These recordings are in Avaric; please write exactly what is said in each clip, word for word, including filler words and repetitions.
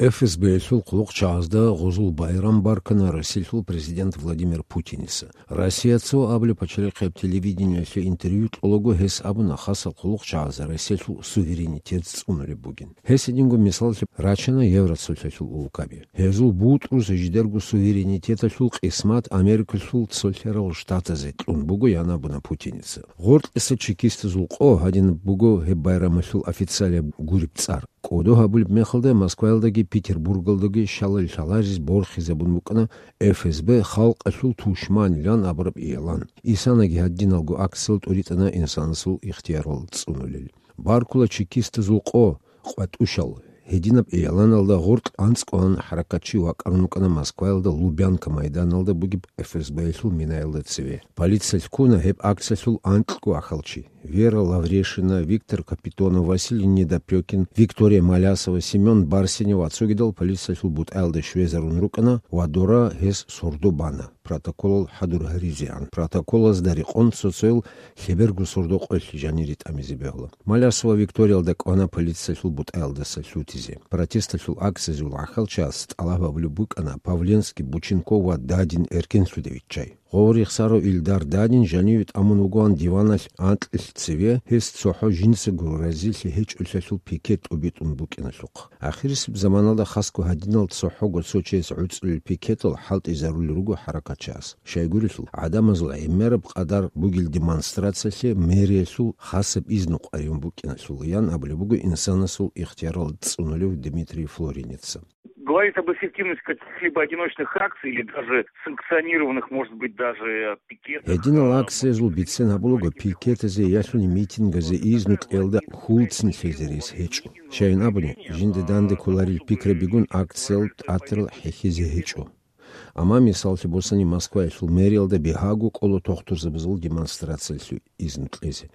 ФСБ-ялъул хъулухъчагӀазда гъузул байрам баркана Россиялъул президент Владимир Путиница. Россия цо абулеб пачалихъияб телевидениялъе интервью кьолаго гьес абуна хасал хъулухъчагӀаз Россиялъул суверенитет цӀунулеб бугин. Гьес гьединго мисаллъи рачана Евроцолъалъул улкаби. Гьезул бутӀрузда жидерго суверенитеталъул къисмат Америкалъул цолъарал штатазе кьун буго, ян абуна Путиница. Гъоркьиса чекистазул къо гьадинаб буго гьеб байрамалъул официалияб гуреб цӀар. КӀодо гьабулеб мехалда Москваялдаги Петербургалдаги щалал лъаларез борхизабун букӀана ФСБ халкъалъул тушманилан абураб игӀлан. Исанаги гьадиналго акциял тӀуритӀана инсанасул ихтиярал цӀунулел. Баркула чекистазул къо, къватӀушал. Гьединаб игӀланалда гъоркь анцӀкӀалан хӀаракатчи вакӀарун вукӀана Москваялда Лубянка майданалда бугеб ФСБ-ялъул минаялда цеве. Полициялъ ккуна гьеб акциялъул анкьго ахӀалчи. Вера Лаврешина, Виктор Капитонов, Василий Недопрёкин, Виктория Малясова, Семён Барсинев ва цогидал полициялъул бутӀаялда щвезарун рукӀана ва дора гьес сордо бана, протоколал хӀадур гьаризегӀан. Протоколазда рекъон цо-цоял лъеберго сордо къоялъ жанире тӀамизе бегьула. Малясова Викториялда кӀвана полициялъул бутӀаялдаса лъутизе. Протесталъул акциязул гӀахьалчияс тӀалаб гьабулеб букӀана Павленский, Бученков ва Дадин эркенлъуде виччай. Гъов рехсарав Илдар Дадин жаниве тӀамун вугоан диваналъ анкьилъ цеве, гьес цохӀо жинцаго разилъи гьечӀолъиялъул пикет тӀубитӀун букӀиналъухъ. Ахирисеб заманалда хасго гьадинал цохӀого цо чияс гӀуцӀулел пикетал хӀалтӀизарулел руго хӀаракатчияс. Щайгурелъул, гӀадамазул гӀемераб къадар бугел демонстрациялъе мэриялъул хасаб изну къваригӀун букӀиналъул, ян абулеб буго инсанасул ихтиярал цӀунулев Дмитрий Флоринеца. Говорить об эффективности каких-либо одиночных акций или даже санкционированных, может быть, даже пикетах, Гьединал а, акциязул бицен гьабулаго пикетазе ялъуни митингазе изну кьелда хьулцин лъезе рес гьечӀо. Щайин абуни, жинда данде кколарил пикрабигун акциял тӀатарал хӀехьезе гьечӀо. Амма мисаллъи босани Москваялъул мэриялда бигьаго кӀола тохтурзабазул демонстрациялъе изну кьезе.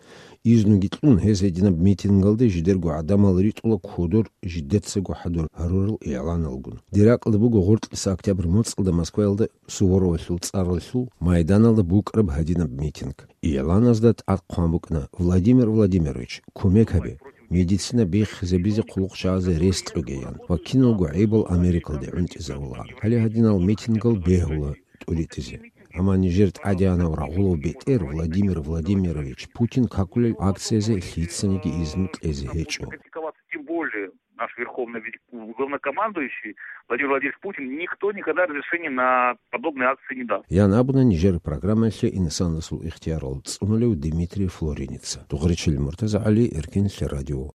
Изнуги кьун, гьез гьединаб митингалде жидерго гӀадамал ритӀула кодор жидецаго хӀадур гьарурал игӀланалгун. Дир ракьалда буго гъоркьиса октябрь моцӀалда Москваялда Суворовалъул цӀаралъул майданалда букӀараб гьадинаб митинг. ИгӀланазда тӀад хъван букӀана: «Владимир Владимирович, кумек гьабе, медицина биххизабизе хъулухъчагӀазе рес кьогеян ва киналго гӀибал Америкалде гӀунтӀизарулаан». Гьале гьадинал митингал бегьула тӀуритӀизе. Амма нижер тӀадегӀанав рагъулав бетӀер Владимир Владимирович Путин какулел акциязе лъицаниги изну кьезе гьечӀо. Тем более наш верховный вели-, главнокомандующий Владимир Владимирович Путин, никто никогда разрешения на подобные акции не даст. Ян абуна нижер программаялъе инсанасул ихтиярал цӀунулев Дмитрий Флоринеца. Дугъричил МуртазагӀали, Эркенлъи радио,